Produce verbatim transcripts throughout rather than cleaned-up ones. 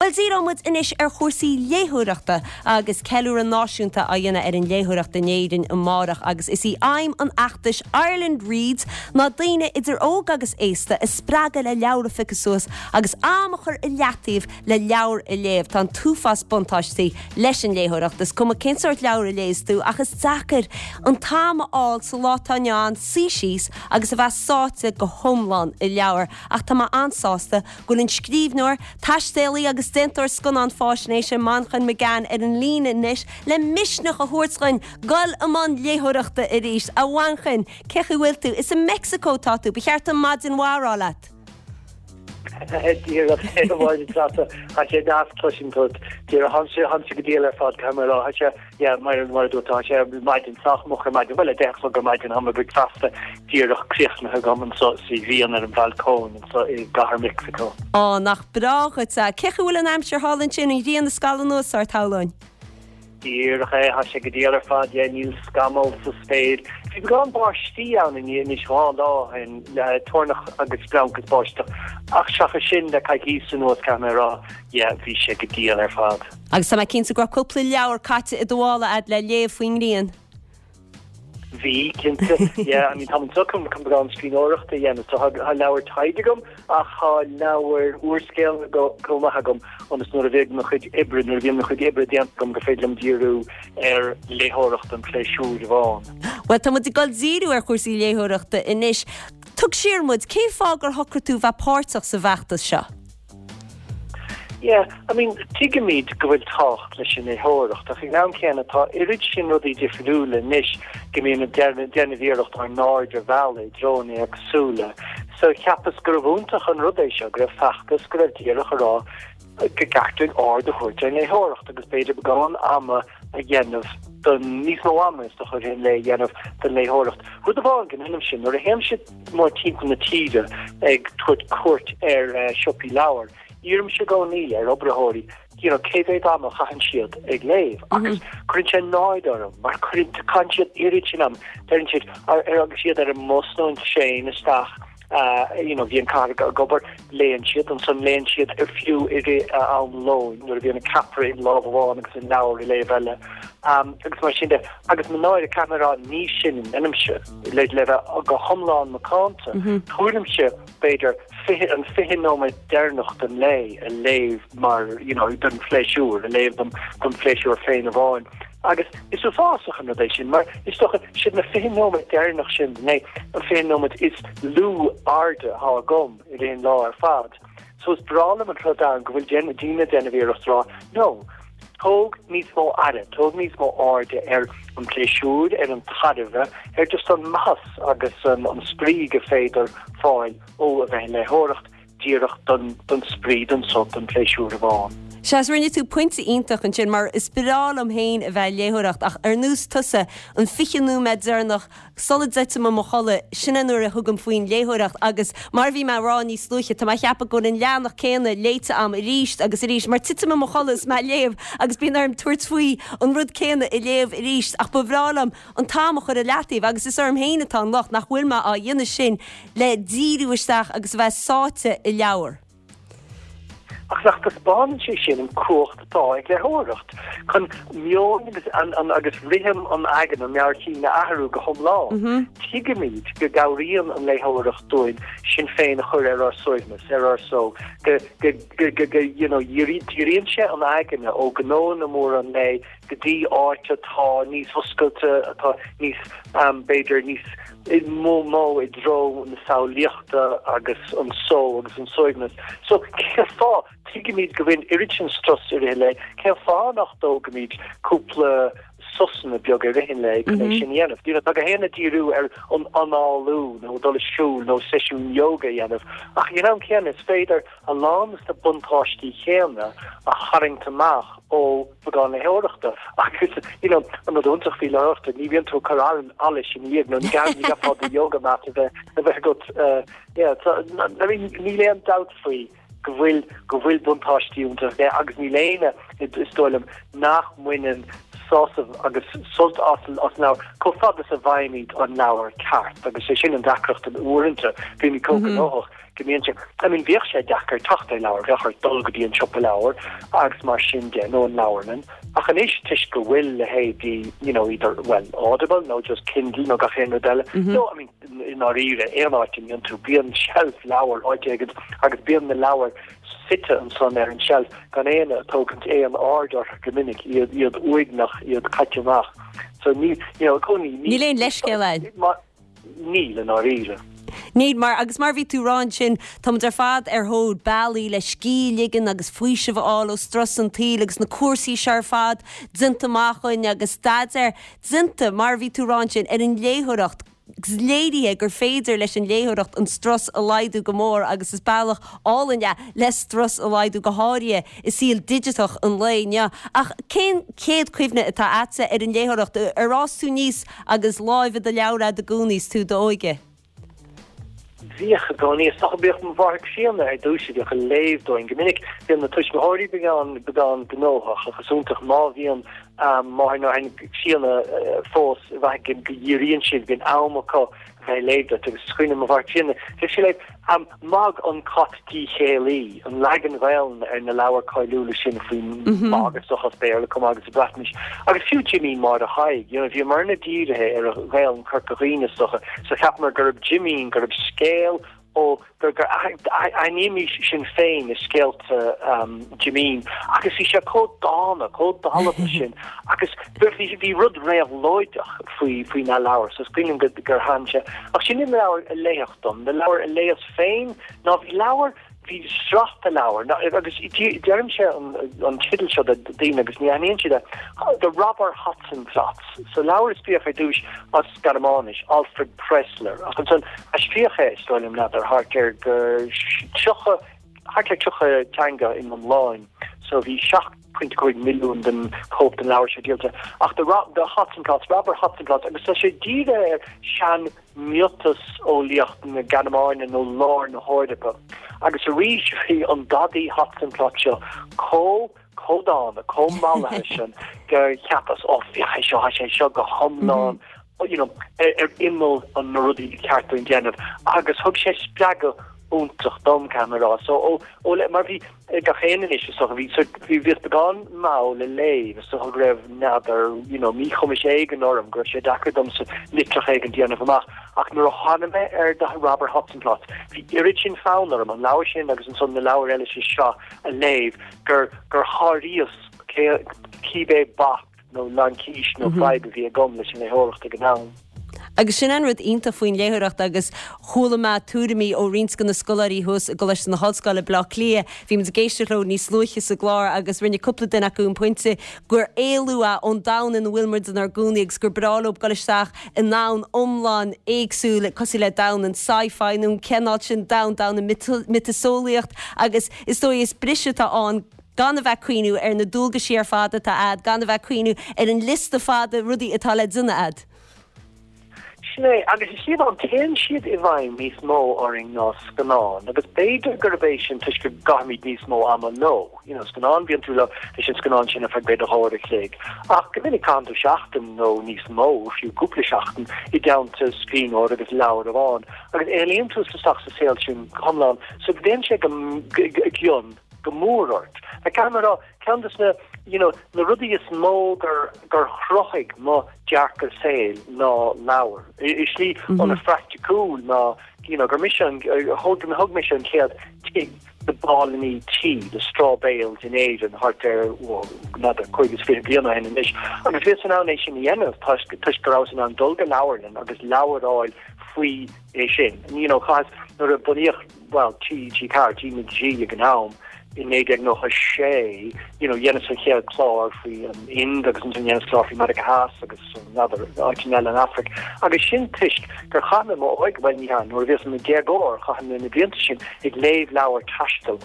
Bhuel díreoidh muid anois ar chúrsaí léitheoireachta agus ceiliúradh náisiúnta á dhéanamh ar an léitheoireacht in Éirinn amárach agus is í aidhm an fheachtais Ireland Reads ná daoine idir óg agus aosta a spreagadh le leabhar a phiocadh suas agus am a chur i leataobh le leabhar a léamh tá an t-uafás buntáistí leis an léitheoireacht is cuma cén sórt leabhar a léas tú ach is deacair an t-am a fháil sa lá atá inniu ann suí síos agus a bheith sáite go hiomlán i leabhar ach tá mé an-sásta go bhfuil an scríbhneoir, taistealaí agus déantóir scannán faisnéise Manchán Magan ar an líne anois le misneach a thabhairt dúinn dul i mbun léitheoireachta arís a Mhanchain cén chaoi a bhfuil tú is i Mexico tá tú ba cheart maidin mhaith a rá leat. Tá sé deas cloisint sé go diail ar fad camera sé mar mar dúirt sé maidin sách moch ar maidin bhuel deich go maidin tá bricfeasta díreach críochnaithe agam anseo sa bhliain ar an bhalcóin anseo i gcathair Mexico. Á nach breá é cén chaoi a bhfuil an aimsir thall ansin an ghrian ag scalladh anuas ort shamhlóinn. Díreach é tá sé go diail ar fad níl scamall sa spéir. Bhí beagán báistí ann anois dhá lá in le toirneach agus splanc is báisteach ach seachas sin le coicís anuas camera bhí sé go diail ar fad. Agus tá mé cinnte go raibh cúpla leabhar caite i do mhála agat le léamh faoin ngrian. Bhí cinnte I mean tá chun beagán scríbhneoireachta a dhéanamh so tá leabhar taighde agam ach tá leabhar úrscéal chomh maith agam ionas nuair a bheidh mo chuid oibre nuair a bhíonn mo chuid oibre déanta agam go féidir liom díriú ar léitheoireacht an pléisiúr amháin. Well tá muid ag dul díriú ar chúrsaí léitheoireachta anois. Tug siar muid cén fáth gur shocraigh tú bheith páirteach sa bhfeachtas seo. Yeah, I mean tuigimid go bhfuil tábhacht leis an léitheoireacht ach ag an am céanna tá oiread sin rudaí difriúla anois go mbíonn déanamh iarracht ár n-aird a mhealladh i dtreo éagsúla. So cheapas gurbh iontach an rud é seo go raibh feachtas go raibh díreach a rá go gceart aird a thabhairt ar léitheoireacht agus b'fhéidir beagán ama a dhéanamh don níos mó ama is do chur in le dhéanamh don léitheoireacht. Rud amháin go ndéanaim sin nuair a théim siad mór timpeall na tíre ag tabhairt cuairt ar uh, siopaí leabhar. Iarraim i gcónaí ar oibritheoirí you know, cé mhéad am a chaitheann siad ag léamh agus cuireann sé náire orm mar cuireann caitheann siad oiread sin am deireann siad ar ar agus siad ar an mbus nó an traein isteach uh, you know, bhíonn car ag obair léann siad ansan léann siad ar fiú i rith uh, am lóin nuair a bhíonn an ceapaire in lámh amháin agus an leabhar i lámh eile. Um, agus mar sin de agus náire camera ní sin inimse le le go hiomlán macánta. Mm -hmm. Tuairimse b'fhéidir fiche an fiche nóiméad deireanach den lae a léamh mar you know, don phléisiúr a léamh dom don phléisiúr féin amháin. Agus is uafásach an rud é sin mar is dócha sin na fiche nóiméad deireanach sin né an fiche nóiméad is lú airde atá agam i aon lá ar fad. So is breá liom an rud an go bhfuil déan daoine déanamh iarracht rá no. Tóg níos mó aire, tóg níos mó airde ar an pléisiúr, ar an tairbhe, ar just an maitheas agus an, an spraoi go féidir fáil ó a bheith léitheoireacht díreach don, don spraoi don sult don pléisiúr amháin. Seas rinne tú pointe iontach ansin mar is breá liom féin a bheith léitheoireacht ach ar nós tusa an fiche nóiméad deireanach sula dtéim i mo chodladh sin nuair a thugaim faoin léitheoireacht agus mar bhí mé ag rá níos luaithe tá mé ag ceapadh go an leathanach céanna léite agam arís agus arís mar titim i mo chodladh is mé ag léamh agus bíonn orm tabhairt faoi an rud céanna a léamh arís ach ba bhreá liom an t-am a chur i leataobh agus is orm féin atá an locht nach bhfuil mé á dhéanamh sin le díriú isteach agus a bheith sáite i leabhar. Ach nach dtaispeánann sé sin an cumhacht atá ag léitheoireacht chun meon agus an, an, agus rithim an aigne an meabhair a athrú go hiomlán. Mm -hmm. Tuigimid go gcabhraíonn an léitheoireacht dúinn sinn féin a chur ar ár suaimhneas ar ár só go go go go go you know díríonn sé an aigne ó ghnónna móra an lae go dtí áit atá níos oscailte atá níos um, b'fhéidir níos mó mó i dtreo na samhlaíochta agus an só agus an suaimhneas. So cén fáth tuigimid go bhfuil oiread sin strus i rith an lae cén fáth nach dtógaimid cúpla sosanna beag i rith an lae chun é sin dhéanamh. You know, tá go héana díriú ar an análú nó dul siúl nó seisiún yoga dhéanamh. Ach you know, céanna is féidir a lán de na buntáistí céanna a tharraingt amach ó bheagán léitheoireachta agus you know, an rud iontach faoi léitheoireachta ní bhíonn tú cur an allais in iad nó gan ní gá yoga mat a bheith a bheith agat uh, yeah, so, I mean, níl aon dabht faoi go bhfuil go bhfuil buntáistí iontu agus níl éinne is dóigh liom nach mbaineann sásamh agus sult as as leabhar chomh fada is a bhfaighimid an leabhar ceart agus sé sin an deacracht an uaireanta bhí chomh gnóthach go mbíonn sé I mean bhíodh sé deacair teacht ar leabhar bheadh ort dul go dtí an siopa leabhar agus mar sin de nó an leabharlann ach anois toisc go bhfuil leithéidí you know either well Audible nó just Kindle nó gach aon rud eile no I mean i ndáiríre aon áit a mbíonn tú bíonn shelf leabhar áit éigin agus bíonn na leabhair suite ansan ar an shelf gan éinne ag tógaint aon aird orthu go minic iad iad uaigneach iad caite amach so ní you know cónaí Níl aon leithscéal ann. Níl i ndáiríre. Níl mar agus mar bhí tú rá ansin táimid ar fad ar thóir bealaí le scíth a ligean agus faoiseamh a fháil ó strus an tsaoil agus na cúrsaí seo ar fad déanta amach againn agus staidéar déanta mar bhí tú rá ansin ar an léitheoireacht agus léirithe gur féidir leis an léitheoireacht an strus a laghdú go mór agus is bealach álainn é le strus a laghdú go háirithe i saol digiteach an lae inniu. Ach cén chéad chuimhne atá agatsa ar an léitheoireacht ar fhás tú aníos agus láimh i do leabhar agat i gcónaí is tú i d'óige? Bhíodh i gcónaí is dócha bhíodh mo mháthair críonna ar dtús a bhíodh ag léamh dúinn go minic bíonn na tuismitheoirí beagán beagán gnóthach agus is iontach má bhíonn máthair nó athair críonna fós bheith go dhíríonn siad bíonn am acu bheith ag léamh duit agus is cuimhin mo mháthair críonna bhí sí ag léamh Mogg an Cat Díchéillí an leagan Gaeilge ar na leabhair cáiliúla sin faoin Mog is dócha as Béarla chomh maith agus sa Bhreatnais agus fiú Jimín Máire Thaidhg you know bhíomarna dírithe ar an Ghaeilge Chorca Dhuibhne is dócha so cheapamar gurb Jimín gurb scéal ó gur gur aithnímis sinn féin i scéalta um, Jimín agus bhí sé chomh dána chomh dalba sin agus bhí bhí rud réabhlóideach faoi faoi na leabhair so is cuimhin go gur thaithin sé ach sin na leabhair a léadh dom na leabhair a léas féin ná bhí leabhar bhí sraith de leabhar agus deirimse an, an teideal seo do daoine agus ní aithníonn siad The Robber Hotzenplotz. So leabhar a scríobhadh ar dtús as Gearmáinis Alfred Pressler ach ansan aistríodh é is dóigh liom n'fheadar thart ar go tríocha thart ar tríocha teanga in iomlán. So bhí seacht pointe cúig milliún den cóip den leabhar seo díolta. Ach the, the Hotzenplotz, Robber Hotzenplotz, agus tá sé dírithe ar sean miotaseolaíocht na Gearmáine nó lár na hEorpa. Agus arís bhí an dadaí Hotzenplotz seo chomh chomh dána chomh mallaithe sin gur cheapas ó bhí seo sé seo go hiomlán you know, ar imeall an na rudaí ceart don déanamh agus thug sé spreagadh iontach dom camera so ó ó le mar bhí gach aon anois so bhí so bhí bhí beagán mall le léamh so go raibh n'fheadar you know míchumas éigin orm go raibh sé deacair dom sa litreach éigin déanamh amach ach nuair a tháinig mé ar The Robber Hotzenplotz bhí oiread sin fonn orm an leabhar sin agus ansan na leabhair eile sé seo a léamh gur gur sháraíos cibé bac nó laincis nó fadhb a bhí agam leis an léitheoireacht ag an am. Agus sin an rud iontach faoin léitheoireacht agus chuala mé tuairimí ó roinnt de na scoláirí thuas i gColáiste na hOllscoile Bleá Cliath, Bhí muid ag éisteacht leo níos luaithe sa gclár agus rinne cúpla duine acu an pointe gur éalú é ón domhan ina bhfuil muid inár gcónaí agus gur breá leo dul isteach i ndomhan iomlán éagsúil cosúil le domhan an sci-fi nó an cineál sin domhan domhan an miotaseolaíocht agus is dóigh is briseadh atá ann gan a bheith ag cuimhneamh ar na dualgaisí ar fad atá agat, gan a bheith ag cuimhneamh ar an liosta fada rudaí atá le déanamh agat. Sin é agus is iad an téann siad i bhfeidhm níos mó orainn ná scannán, agus b'fhéidir gurb é sin toisc go gcaithimid níos mó ama leo. You know, scannán bíonn tú le leis an scannán sin ar feadh b'fhéidir dhá uair a chloig. Ach go minic caitheann tú seachtain nó níos mó fiú cúpla seachtain i dteannta scríbhneoir agus leabhar amháin. Agus éalaíonn tú isteach sa saol sin go hiomlán, so go dtéann sé go gcionn go mór ort. A camera ceann de na you know, na rudaí is mó gur gur chruthaigh mo dearcadh saoil ná leabhar. I slí an-phraiticiúil ná you know, gur mise an thug thug mise an chéad tigh na bpáilíní tuí the straw bales in Éirinn thart ar n'fheadar cúig is fiche bliain ó shin anois. Agus bhíos in ann é sin a dhéanamh toisc go rabhas in ann dul go leabharlann agus leabhar a fháil faoi é sin. You know, chas nuair a bunaíodh well T G Ceathair T na G ag an am in naoi déag nócha sé you know, dhéanas an chéad chlár faoi an Ind agus an dhéanas clár faoi Meiriceá Theas agus n'fheadar áiteanna eile in Afraic. Agus sin toisc gur chaith mé m'óige well ní hea nuair a bhíos i mo dhéagóir chaith mé na blianta sin ag léamh leabhar taistil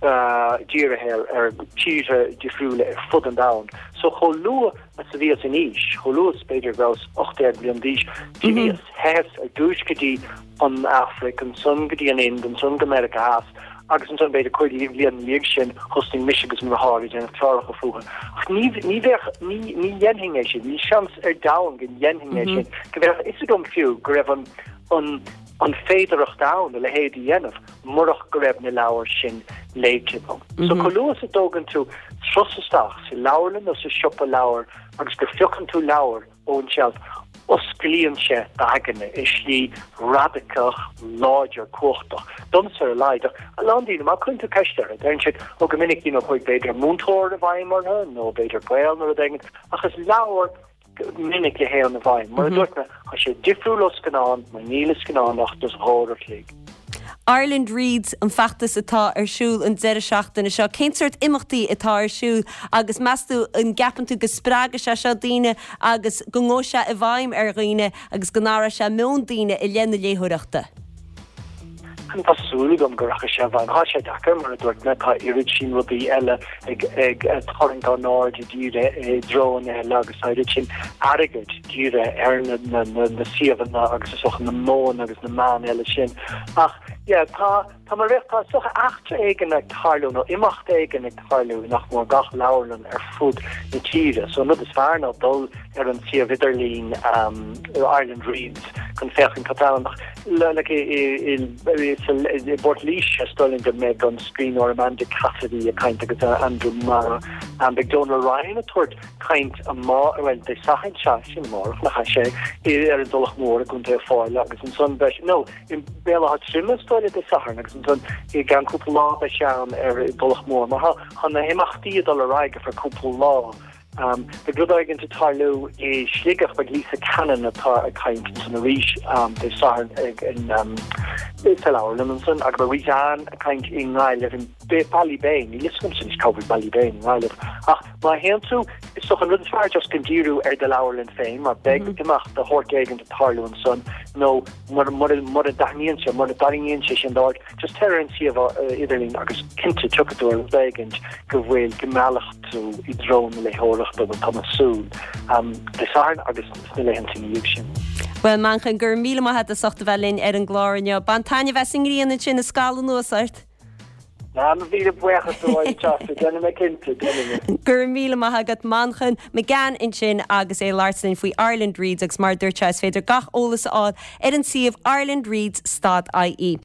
uh, dírithe ar, ar tíortha difriúla ar fud an domhain. So chomh luath is a bhíos in aois, chomh luath b'fhéidir go rabhas ocht déag bliain d'aois, d'imíos ar dtús go dtí an Afraic ansan go dtí an Ind ansan go Meiriceá Theas Agus ansan b'fhéidir cúig bliain ina dhiaidh sin thosnaigh mise agus mo dheartháir ag déanamh cláracha fúthu. Ach ní ní bheadh ní ní dhéanfainn é sin, níl seans ar domhan go ndéanfainn é sin, go mbeadh fhios agam fiú go raibh an an an féidearthacht ann a leithéid a dhéanamh murach go raibh na leabhair sin léite agam. So chomh luath is a dtógann tú turas isteach sa leabharlann nó sa siopa leabhar agus go phiocann tú leabhar ón tseilf, osclaíonn sé d'aigne i slí radacach, láidir, cumhachtach. Domsa ar a laghad, ach a lán daoine, má chuireann tú ceist orthu, deireann siad, ó go minic, you know, chuaigh b'fhéidir múinteoir i bhfeidhm orthu nó b'fhéidir gaol nó rud éigin, ach is leabhar go minic a théann i bhfeidhm. Mar a dúirt mé, tá sé difriúil ó scannán, mar níl i scannán ach just dhá uair a chloig. Ireland Reads an feachtas atá ar siúl an deireadh seachtaine seo. Cén sórt imeachtaí atá ar siúl agus meas tú an gceapann tú go spreagfaidh sé seo daoine agus go ngabhfaidh sé i bhfeidhm ar dhaoine agus go n-athróidh sé meon daoine i leith na léitheoireachta? Tá súil agam go rachaidh sé i bhfeidhm. Tá sé deacair mar a dúirt mé tá oiread sin rudaí eile ag ag tarraingt ár n-aird dírithe i dtreonna eile agus tá oiread sin airgid dírithe ar na na na na suíomhanna agus is dócha na modhanna agus na meáin eile sin. Ach yeah, tá tá mar bheadh tá is dócha eachtra éigin ag tarlú nó imeacht éigin ag tarlú nach mór gach leabharlann ar fud na tíre. So an rud is fearr ná dul ar an suíomh idirlín um, Ireland Reads chun féachaint cad tá ann le like, i i bPort Laoise is dóigh liom go mbeidh an scríbhneoir Amanda Cassidy ag caint agus Andrew Marr um, beidh Donal Ryan ag tabhairt caint amá well Dé Sathairn seo sin amárach nach sé ar an Tulach Mhór i gContae Fáile agus ansan beidh no i mBéal Átha Troim is dóigh Dé Sathairn agus ansan i gceann cúpla lá beidh sé ann ar an Tulach Mhór mar tá na himeachtaí ag dul ar aghaidh ar feadh cúpla lá. Um, Beidh rud éigin ag tarlú i Sligeach beidh Lisa Cannon atá ag caint san arís um, Dé Sathairn ag in um, sa leabharlann ansan agus beidh Rita Ann ag caint i nGaillimh in Ballybane, níl fhios agam sin cá bhfuil Ballybane i nGaillimh. Ach má théann tú is dócha an rud is fearr just chun díriú ar do leabharlann féin, mar beidh mm -hmm. imeacht de shórt éigin ag tarlú ansan nó mura mura dtaitníonn sé mura dtarraingíonn sé sin d'aird just téir ar an suíomh uh, idirlín agus cinnte tiocfaidh tú ar rud éigin go bhfuil go meallfaidh tú i dtreo na léitheoireachta bhuel tá mé ag súil um, Dé Sathairn agus sna laethanta ina dhiaidh sin. Well Manchán go raibh míle maith agat as ucht a bheith linn ar an gclár inniu. Bain taitneamh as an ngrian ansin is scalladh anuas ort. Ná míle buíochas déanfaidh mé cinnte Go raibh míle maith agat Manchán McGann ansin agus é ag labhairt linn faoi Ireland Reads agus mar dúirt sé is féidir gach eolas a fháil ar an suíomh Ireland Reads stad IE.